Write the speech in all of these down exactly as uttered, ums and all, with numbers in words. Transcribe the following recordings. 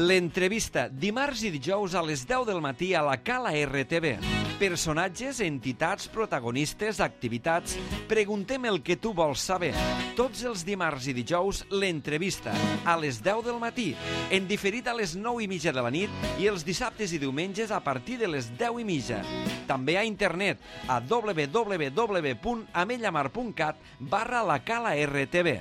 L'entrevista, dimarts i dijous a les deu del matí a la Cala R T V. Personatges, entitats, protagonistes, activitats... Preguntem el que tu vols saber. Tots els dimarts i dijous, l'entrevista, a les deu del matí, en diferit a les nou i mitja de la nit i els dissabtes i diumenges a partir de les deu i mitja. També a internet, a w w w punt amellamar punt cat barra la Cala R T V.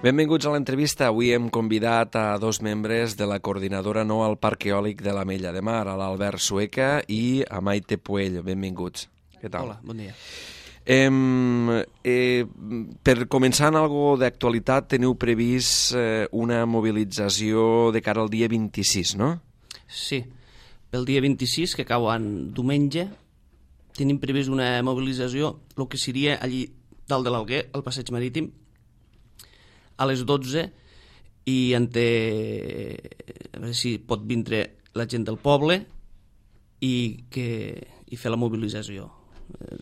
Benvinguts a l'entrevista. Avui hem convidat a dos membres de la coordinadora No al Parc Eòlic de l'Ametlla de Mar, a l'Albert Sueca i a Maite Puello. Benvinguts. Què tal? Hola, bon dia. Eh, eh, per començar en algo d'actualitat, teniu previst eh, una mobilització de cara al dia vint-i-sis, no? Sí, pel dia vint-i-sis, que cau en diumenge, tenim previst una mobilització, el que seria allí dalt de l'Alguer, al passeig marítim, a les dotze, i en té... a veure si pot vindre la gent del poble i, que... i fer la mobilització.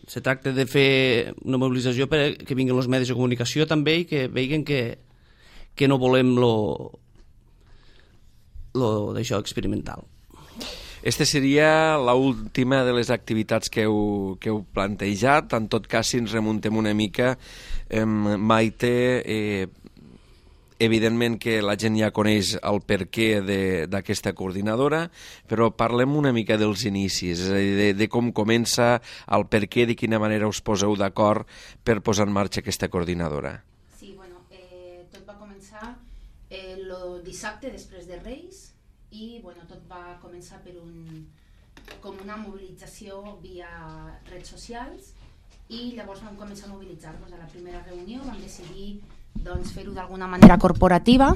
Se tracta de fer una mobilització perquè vinguin els medis de comunicació també i que vegin que, que no volem lo, lo d'això experimental. Esta seria l'última de les activitats que heu, que heu plantejat. En tot cas, si ens remuntem una mica, eh, Maite, eh, evidentment que la gent ja coneix el perquè d'aquesta coordinadora, però parlem una mica dels inicis, és a dir, de, de com comença, el perquè, de quina manera us poseu d'acord per posar en marxa aquesta coordinadora. Sí, bueno, eh, tot va començar eh, el dissabte després de Reis i bueno, tot va començar per un, com una mobilització via redes socials i llavors vam començar a mobilitzar-nos. A la primera reunió vam decidir doncs, fer-ho d'alguna manera corporativa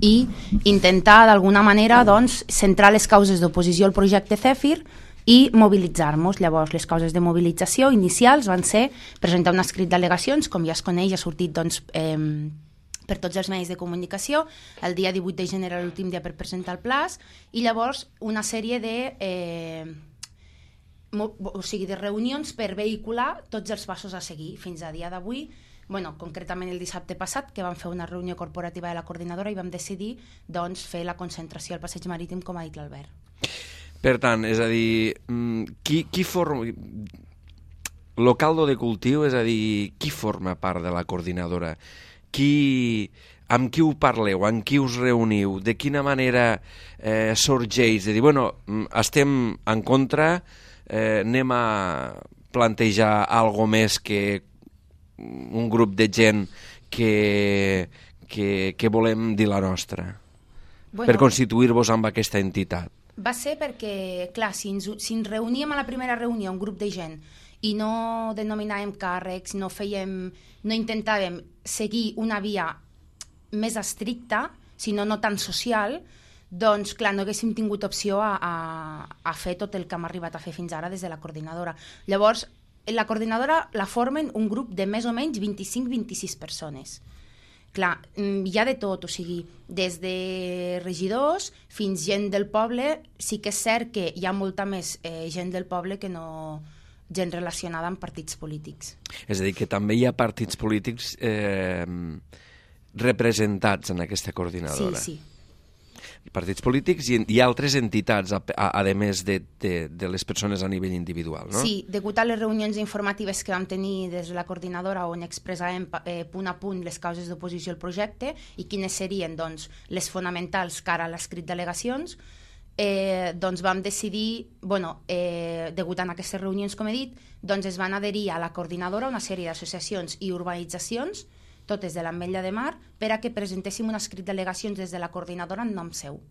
i intentar d'alguna manera doncs, centrar les causes d'oposició al projecte Zèfir i mobilitzar-nos. Llavors les causes de mobilització inicials van ser presentar un escrit d'al·legacions, com ja es coneix, ha sortit doncs, eh, per tots els medis de comunicació. El dia divuit de gener era l'últim dia per presentar el pla i llavors una sèrie de... Eh, o sigui, de reunions per vehicular tots els passos a seguir fins a dia d'avui. Bueno, concretament el dissabte passat, que vam fer una reunió corporativa de la coordinadora i vam decidir doncs, fer la concentració al passeig marítim, com ha dit l'Albert. Per tant, és a dir, qui, qui forma... Lo caldo de cultiu, és a dir, qui forma part de la coordinadora? Qui... Amb qui ho parleu? Amb qui us reuniu? De quina manera eh, sorgeix? De dir, bueno, estem en contra, eh, anem a plantejar algo més que un grup de gent que, que, que volem dir la nostra, bueno, per constituir-vos amb aquesta entitat. Va ser perquè, clar, si ens, si ens reuníem a la primera reunió un grup de gent i no denominàvem càrrecs, no fèiem, no intentàvem seguir una via més estricta, sinó no tan social, doncs clar, no haguéssim tingut opció a, a, a fer tot el que hem arribat a fer fins ara des de la coordinadora. Llavors, la coordinadora la formen un grup de més o menys vint-i-cinc a vint-i-sis persones. Clar, hi ha de tot, o sigui, des de regidors fins gent del poble. Sí que és cert que hi ha molta més eh, gent del poble que no gent relacionada amb partits polítics. És a dir, que també hi ha partits polítics eh, representats en aquesta coordinadora. Sí, sí. Partits polítics i, i altres entitats, a, a, a més de, de, de les persones a nivell individual, no? Sí, degut a les reunions informatives que vam tenir des de la coordinadora on expressàvem eh, punt a punt les causes d'oposició al projecte i quines serien doncs, les fonamentals cara a l'escrit d'al·legacions, eh, doncs vam decidir, bueno, eh, degut a aquestes reunions, com he dit, doncs es van adherir a la coordinadora una sèrie d'associacions i urbanitzacions, totes de l'Ametlla de Mar, per a que presentéssim un escrit d'al·legacions des de la coordinadora en nom seu.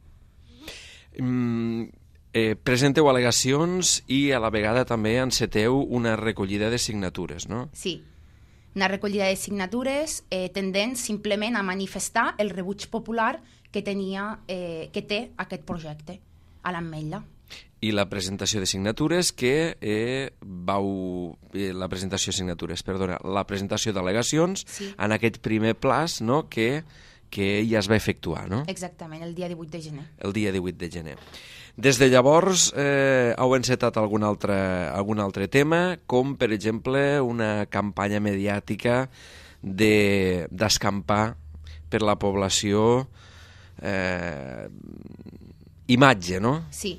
Mm, eh, presenteu al·legacions i a la vegada també enceteu una recollida de signatures, no? Sí, una recollida de signatures eh, tendent simplement a manifestar el rebuig popular que, tenia, eh, que té aquest projecte a l'Ametlla. I la presentació de signatures que eh, vau... Eh, la presentació de signatures, perdona, la presentació d'al·legacions sí. En aquest primer plaç, no?, que, que ja es va efectuar, no? Exactament, el dia divuit de gener. El dia divuit de gener. Des de llavors eh, heu encetat algun altre, algun altre tema, com per exemple una campanya mediàtica d'escampar per la població eh, imatge, no? Sí,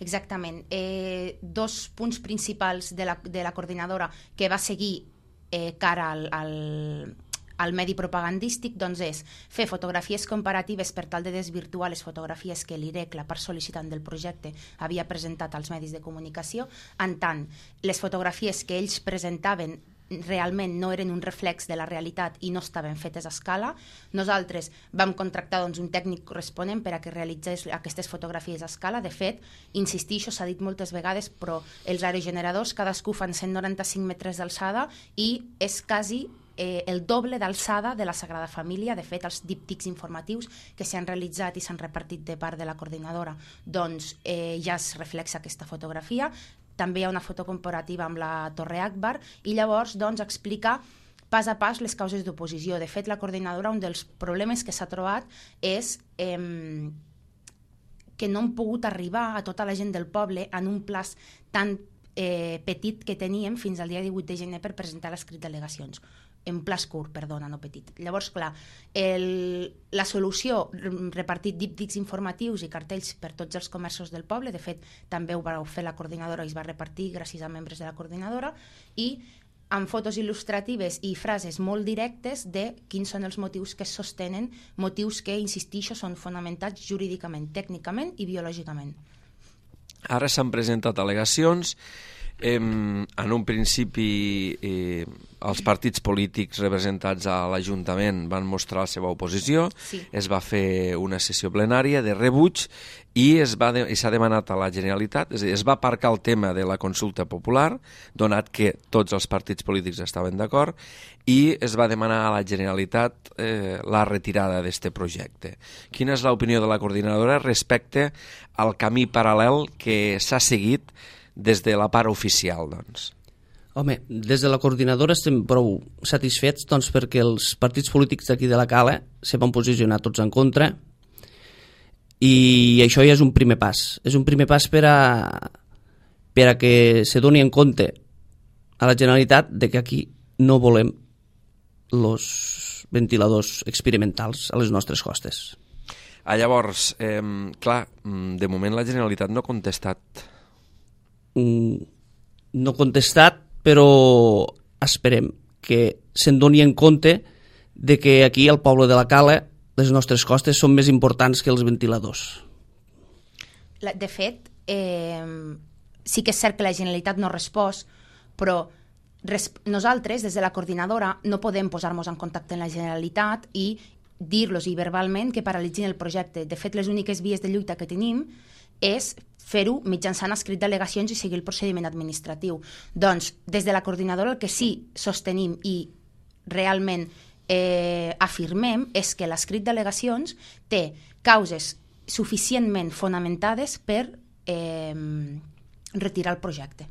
exactament. Eh, dos punts principals de la, de la coordinadora que va seguir eh, cara al, al, al medi propagandístic doncs és fer fotografies comparatives per tal de desvirtuar les fotografies que l'I R E C, la part sol·licitant del projecte, havia presentat als medis de comunicació. En tant, les fotografies que ells presentaven realment no eren un reflex de la realitat i no estaven fetes a escala. Nosaltres vam contractar doncs, un tècnic corresponent per a que realitzés aquestes fotografies a escala. De fet, insistixo, s'ha dit moltes vegades, però els aerogeneradors cadascú fan cent noranta-cinc metres d'alçada i és quasi eh, el doble d'alçada de la Sagrada Família. De fet, els díptics informatius que s'han realitzat i s'han repartit de part de la coordinadora doncs eh, ja es reflexa aquesta fotografia. També hi ha una foto comparativa amb la Torre Akbar i llavors doncs, explica pas a pas les causes d'oposició. De fet, la coordinadora, un dels problemes que s'ha trobat és eh, que no hem pogut arribar a tota la gent del poble en un plaç tan eh, petit que teníem fins al dia divuit de gener per presentar l'escrit d'al·legacions. En plaç curt, perdona, no petit. Llavors, clar, el, la solució, repartit díptics informatius i cartells per tots els comerços del poble, de fet, també ho va fer la coordinadora i es va repartir gràcies a membres de la coordinadora, i amb fotos il·lustratives i frases molt directes de quins són els motius que es sostenen, motius que, insistixo, són fonamentats jurídicament, tècnicament i biològicament. Ara s'han presentat al·legacions. Eh, en un principi eh, els partits polítics representats a l'Ajuntament van mostrar la seva oposició, sí. Es va fer una sessió plenària de rebuig i es va de, i s'ha demanat a la Generalitat, és a dir, es va aparcar el tema de la consulta popular, donat que tots els partits polítics estaven d'acord, i es va demanar a la Generalitat eh, la retirada d'aquest projecte. Quina és l'opinió de la coordinadora respecte al camí paral·lel que s'ha seguit des de la part oficial, doncs? Home, des de la coordinadora estem prou satisfets doncs, perquè els partits polítics d'aquí de la Cala se van posicionar tots en contra i això ja és un primer pas. És un primer pas per a, per a que se doni en compte a la Generalitat de que aquí no volem els ventiladors experimentals a les nostres costes. Ah, llavors, eh, clar, de moment la Generalitat no ha contestat. No contestat, però esperem que se'n doni en compte de que aquí al poble de la Cala les nostres costes són més importants que els ventiladors. De fet, eh, sí que és cert que la Generalitat no ha respost, però res, nosaltres, des de la coordinadora, no podem posar-nos en contacte amb la Generalitat i dir-los i verbalment que paralitzin el projecte. De fet, les úniques vies de lluita que tenim és fer-ho mitjançant escrit d'al·legacions i seguir el procediment administratiu. Doncs, des de la coordinadora el que sí sostenim i realment eh, afirmem és que l'escrit d'al·legacions té causes suficientment fonamentades per eh, retirar el projecte.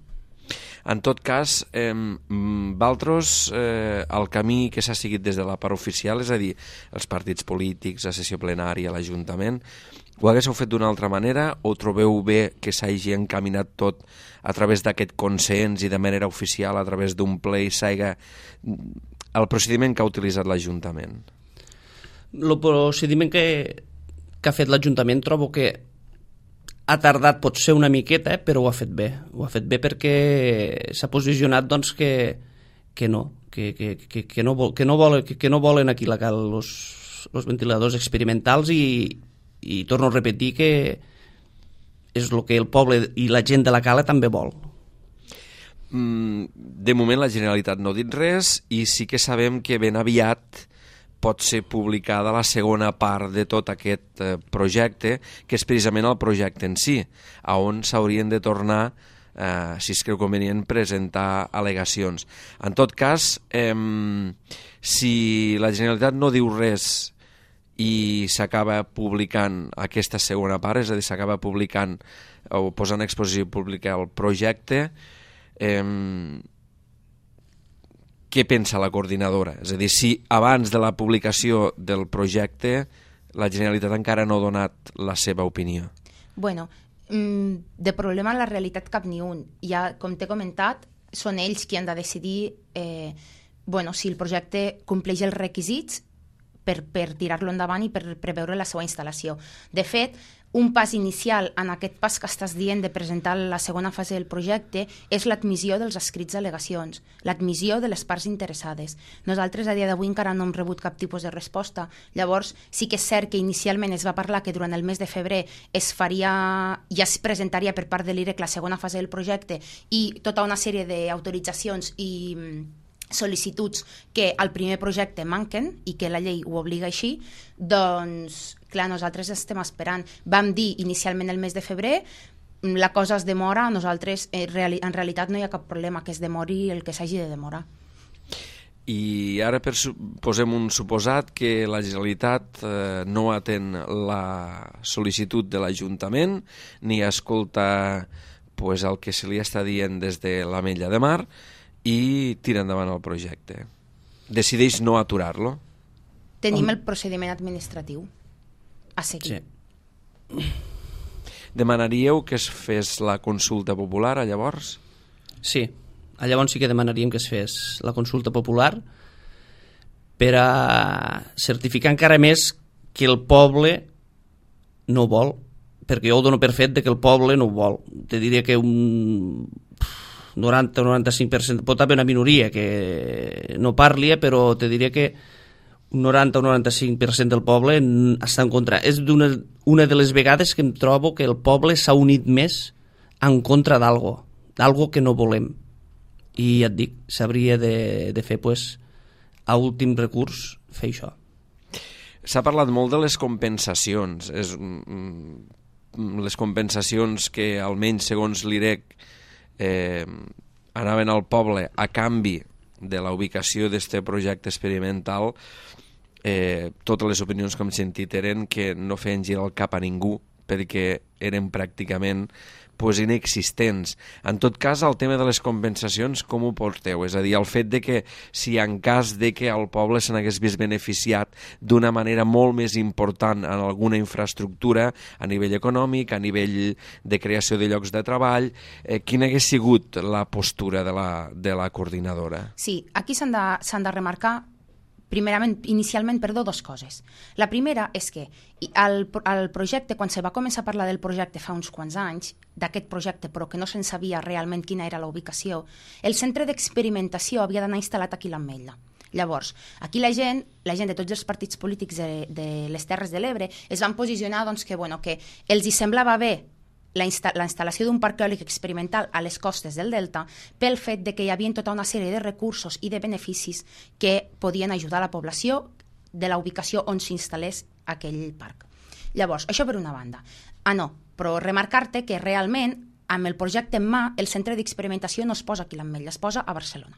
En tot cas, eh, vosaltres, eh, el camí que s'ha seguit des de la part oficial, és a dir, els partits polítics, la sessió plenària, l'Ajuntament, ho haguéssiu fet d'una altra manera o trobeu bé que s'hagi encaminat tot a través d'aquest consens i de manera oficial a través d'un ple i s'hagi el procediment que ha utilitzat l'Ajuntament? El procediment que, que ha fet l'Ajuntament trobo que ha tardat potser una miqueta, però ho ha fet bé. Ho ha fet bé perquè s'ha posicionat doncs, que, que no, que, que, que, que, no vol, que, no vol, que, que no volen aquí la cal els ventiladors experimentals i i torno a repetir que és el que el poble i la gent de la Cala també vol. De moment la Generalitat no ha dit res i sí que sabem que ben aviat pot ser publicada la segona part de tot aquest projecte, que és precisament el projecte en si, on s'haurien de tornar, eh, si es creu convenient, presentar al·legacions. En tot cas, eh, si la Generalitat no diu res i s'acaba publicant aquesta segona part, és a dir, s'acaba publicant o posant en exposició pública el projecte, eh, què pensa la coordinadora? És a dir, si abans de la publicació del projecte la Generalitat encara no ha donat la seva opinió. Bueno, de problema en la realitat cap ni un. Ja, com t'he comentat, són ells qui han de decidir eh, bueno, si el projecte compleix els requisits per, per tirar-lo endavant i per preveure la seva instal·lació. De fet, un pas inicial en aquest pas que estàs dient de presentar la segona fase del projecte és l'admissió dels escrits d'al·legacions, l'admissió de les parts interessades. Nosaltres a dia d'avui encara no hem rebut cap tipus de resposta. Llavors, sí que és cert que inicialment es va parlar que durant el mes de febrer es faria, ja es presentaria per part de l'I R E C la segona fase del projecte i tota una sèrie d'autoritzacions i sol·licituds que al primer projecte manquen i que la llei ho obliga així, doncs, clar, nosaltres estem esperant. Vam dir inicialment el mes de febrer, la cosa es demora, nosaltres en realitat no hi ha cap problema que es demori el que s'hagi de demorar. I ara per, posem un suposat que la Generalitat eh, no atén la sol·licitud de l'Ajuntament ni escolta pues, el que se li està dient des de l'Ametlla de Mar i tira endavant el projecte. Decideix no aturar-lo. Tenim el procediment administratiu a seguir. Sí. Demanaríeu que es fes la consulta popular, llavors? Sí, llavors sí que demanaríem que es fes la consulta popular per a certificar encara més que el poble no vol, perquè jo ho dono per fet de que el poble no ho vol. Te diria que un noranta o noranta-cinc per cent, pot haver una minoria que no parli, però te diria que un noranta o noranta-cinc per cent del poble està en contra. És una, una de les vegades que em trobo que el poble s'ha unit més en contra d'algo, d'algo que no volem. I ja et dic, s'hauria de, de fer, pues, a últim recurs, fer això. S'ha parlat molt de les compensacions. És, les compensacions que, almenys segons l'I R E C, eh, anaven al poble a canvi de la ubicació d'este projecte experimental, eh, totes les opinions que hem sentit eren que no feien girar el cap a ningú perquè eren pràcticament pues, inexistents. En tot cas, el tema de les compensacions, com ho porteu? És a dir, el fet de que si en cas de que el poble se n'hagués vist beneficiat d'una manera molt més important en alguna infraestructura a nivell econòmic, a nivell de creació de llocs de treball, eh, quina hagués sigut la postura de la, de la coordinadora? Sí, aquí s'han de, s'han de remarcar primerament, inicialment, perdó, dues coses. La primera és que el, el projecte, quan se va començar a parlar del projecte fa uns quants anys, d'aquest projecte, però que no se'n sabia realment quina era la ubicació, el centre d'experimentació havia d'anar instal·lat aquí a l'Ametlla. Llavors, aquí la gent, la gent de tots els partits polítics de, de les Terres de l'Ebre es van posicionar doncs, que, bueno, que els hi semblava bé la, insta la instal·lació d'un parc eòlic experimental a les costes del Delta pel fet de que hi havia tota una sèrie de recursos i de beneficis que podien ajudar la població de la ubicació on s'instal·lés aquell parc. Llavors, això per una banda. Ah, no, però remarcar-te que realment amb el projecte en mà el centre d'experimentació no es posa aquí a l'Ametlla, es posa a Barcelona.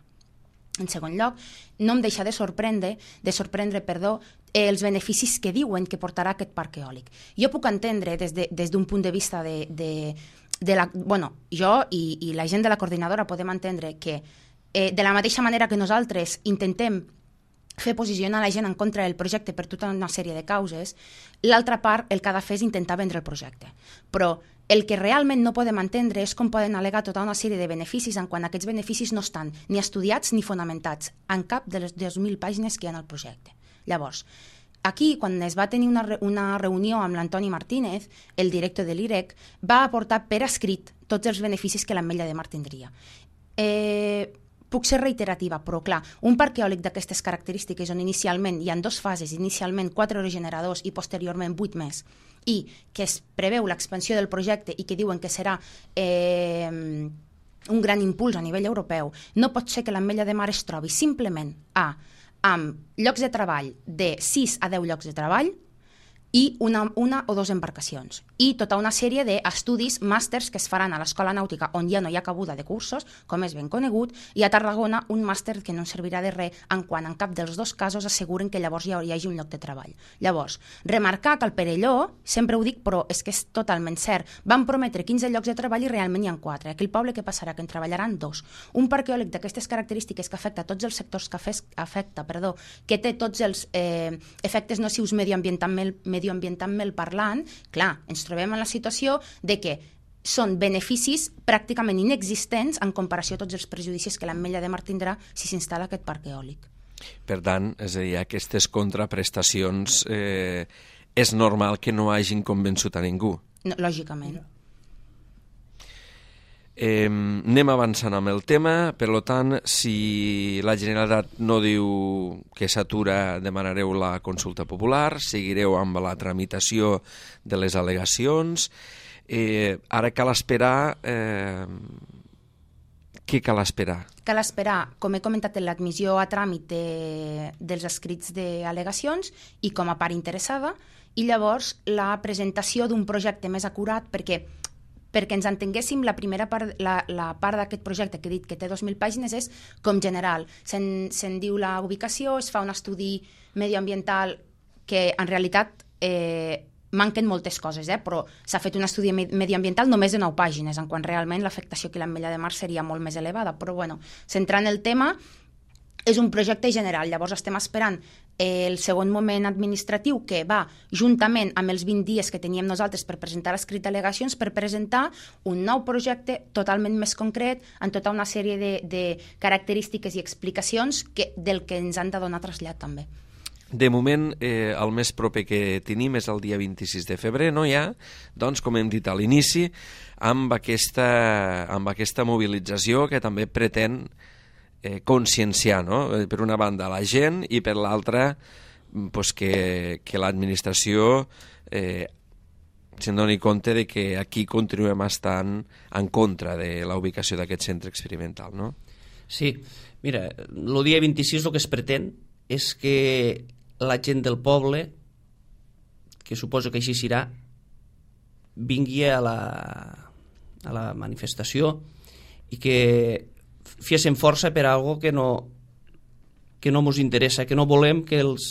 En segon lloc, no em deixa de sorprendre, de sorprendre, perdó, els beneficis que diuen que portarà aquest parc eòlic. Jo puc entendre des de, des d'un punt de vista de, de, de la... Bueno, jo i, i la gent de la coordinadora podem entendre que eh, de la mateixa manera que nosaltres intentem fer posicionar la gent en contra del projecte per tota una sèrie de causes, l'altra part el que ha de fer és intentar vendre el projecte. Però el que realment no podem entendre és com poden al·legar tota una sèrie de beneficis en quan aquests beneficis no estan ni estudiats ni fonamentats en cap de les dues mil pàgines que hi ha en el projecte. Llavors, aquí, quan es va tenir una, re una reunió amb l'Antoni Martínez, el director de l'I R E C, va aportar per escrit tots els beneficis que l'Ametlla de Mar tindria. Eh... Puc ser reiterativa, però clar, un parc eòlic d'aquestes característiques on inicialment hi ha dues fases, inicialment quatre aerogeneradors i posteriorment vuit més, i que es preveu l'expansió del projecte i que diuen que serà eh, un gran impuls a nivell europeu, no pot ser que l'Ametlla de Mar es trobi simplement a, amb llocs de treball de sis a deu llocs de treball i una, una o dues embarcacions. I tota una sèrie d'estudis, màsters que es faran a l'Escola Nàutica on ja no hi ha cabuda de cursos, com és ben conegut, i a Tarragona un màster que no servirà de res en quan en cap dels dos casos asseguren que llavors hi hagi un lloc de treball. Llavors, remarcar que al Perelló, sempre ho dic, però és que és totalment cert, van prometre quinze llocs de treball i realment hi ha quatre. Aquí el poble què passarà? Que en treballaran dos. Un parc eòlic d'aquestes característiques que afecta tots els sectors que afecta, perdó, que té tots els eh, efectes nocius medioambientalment medioambientalment parlant, clar, ens trobem en la situació de que són beneficis pràcticament inexistents en comparació a tots els prejudicis que l'Ametlla de Mar tindrà si s'instal·la aquest parc eòlic. Per tant, és a dir, aquestes contraprestacions eh, és normal que no hagin convençut a ningú. No, lògicament. Eh, anem avançant amb el tema, per tant, si la Generalitat no diu que s'atura, demanareu la consulta popular, seguireu amb la tramitació de les al·legacions. Eh, ara cal esperar... Eh, què cal esperar? Cal esperar, com he comentat, l'admissió a tràmit de, dels escrits d'al·legacions i com a part interessada, i llavors la presentació d'un projecte més acurat, perquè perquè ens entenguéssim, la primera part, la, la part d'aquest projecte que he dit que té dos mil pàgines és com general. Se'n se diu la ubicació, es fa un estudi medioambiental que en realitat eh, manquen moltes coses, eh? Però s'ha fet un estudi medioambiental només de nou pàgines, en quan realment l'afectació que l'Ametlla de Mar seria molt més elevada. Però bueno, centrant el tema, és un projecte general. Llavors estem esperant el segon moment administratiu, que va juntament amb els vint dies que teníem nosaltres per presentar l'escrit d'al·legacions, per presentar un nou projecte totalment més concret, amb tota una sèrie de, de característiques i explicacions que, del que ens han de donar trasllat també. De moment, eh, el més proper que tenim és el dia vint-i-sis de febrer, no hi ha, doncs, com hem dit a l'inici, amb aquesta, amb aquesta mobilització que també pretén eh, conscienciar, no? Per una banda la gent i per l'altra pues, que, que l'administració eh, se'n doni compte de que aquí continuem estant en contra de la ubicació d'aquest centre experimental, no? Sí, mira, el dia vint-i-sis el que es pretén és que la gent del poble, que suposo que així serà, vingui a la, a la manifestació i que fiessin força per algo que no que no mos interessa, que no volem que els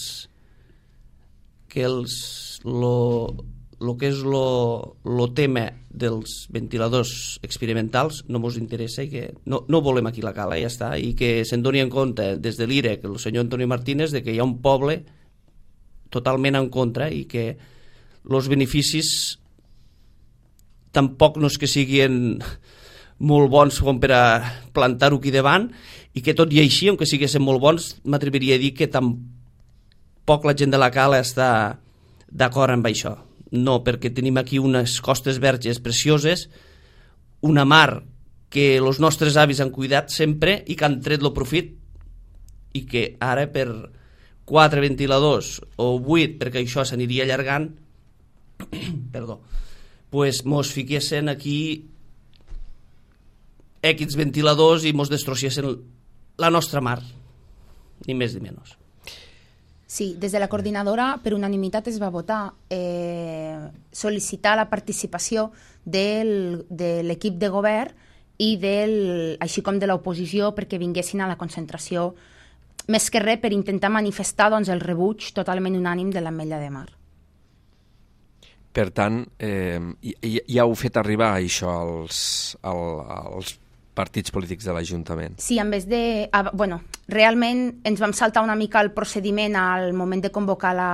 que els lo, lo que és lo, lo tema dels ventiladors experimentals no mos interessa i que no, no volem aquí la cala, ja està, i que se'n doni en compte des de l'I R E C, el senyor Antonio Martínez, de que hi ha un poble totalment en contra i que els beneficis tampoc no és que siguin molt bons com per a plantar-ho aquí davant, i que tot i així, aunque siguessin molt bons, m'atreviria a dir que tampoc la gent de la cala està d'acord amb això. No, perquè tenim aquí unes costes verges precioses, una mar que els nostres avis han cuidat sempre i que han tret el profit, i que ara per quatre ventiladors o vuit, perquè això s'aniria allargant, perdó, pues mos fiquessin aquí X ventiladors i mos destrossessin la nostra mar, ni més ni menys. Sí, des de la coordinadora per unanimitat es va votar eh, sol·licitar la participació del, de l'equip de govern i del, així com de l'oposició perquè vinguessin a la concentració, més que res per intentar manifestar doncs, el rebuig totalment unànim de l'Ametlla de Mar. Per tant, eh, ja heu fet arribar això als, als partits polítics de l'Ajuntament. Sí, en vez de... Bueno, realment ens vam saltar una mica el procediment al moment de convocar la,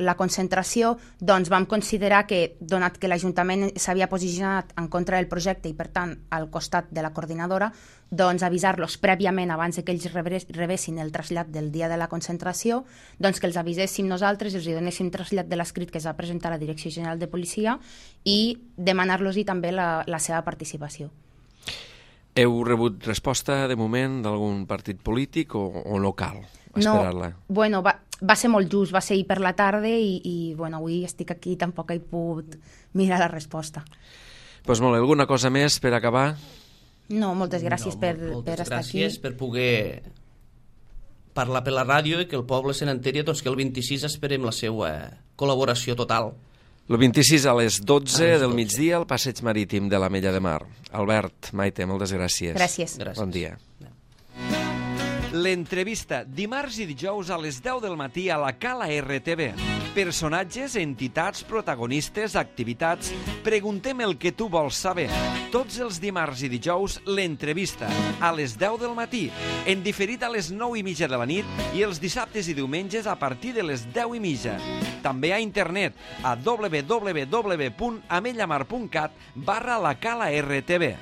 la concentració, doncs vam considerar que, donat que l'Ajuntament s'havia posicionat en contra del projecte i, per tant, al costat de la coordinadora, doncs avisar-los prèviament, abans que ells rebessin el trasllat del dia de la concentració, doncs que els aviséssim nosaltres, els donéssim trasllat de l'escrit que es va presentar a la Direcció General de Policia i demanar-los-hi també la, la seva participació. Heu rebut resposta, de moment, d'algun partit polític o, o no cal esperar-la? No, bueno, va, va ser molt just, va ser ahir per la tarda i, i bueno, avui estic aquí i tampoc he pogut mirar la resposta. Doncs pues molt bé, alguna cosa més per acabar? No, moltes gràcies no, per, moltes per estar aquí. Moltes gràcies per poder parlar per la ràdio i que el poble se n'enteri, doncs que el vint-i-sis esperem la seva col·laboració total. El vint-i-sis a les dotze del migdia al Passeig Marítim de l'Ametlla de Mar. Albert, Maite, moltes gràcies. Gràcies. Bon dia. L'entrevista, dimarts i dijous a les deu del matí a la Cala R T V. Personatges, entitats, protagonistes, activitats... Preguntem el que tu vols saber. Tots els dimarts i dijous, l'entrevista, a les deu del matí, en diferit a les nou i mitja de la nit i els dissabtes i diumenges a partir de les deu i mitja. També a internet, a w w w punt ametlla mar punt cat barra la Cala R T V.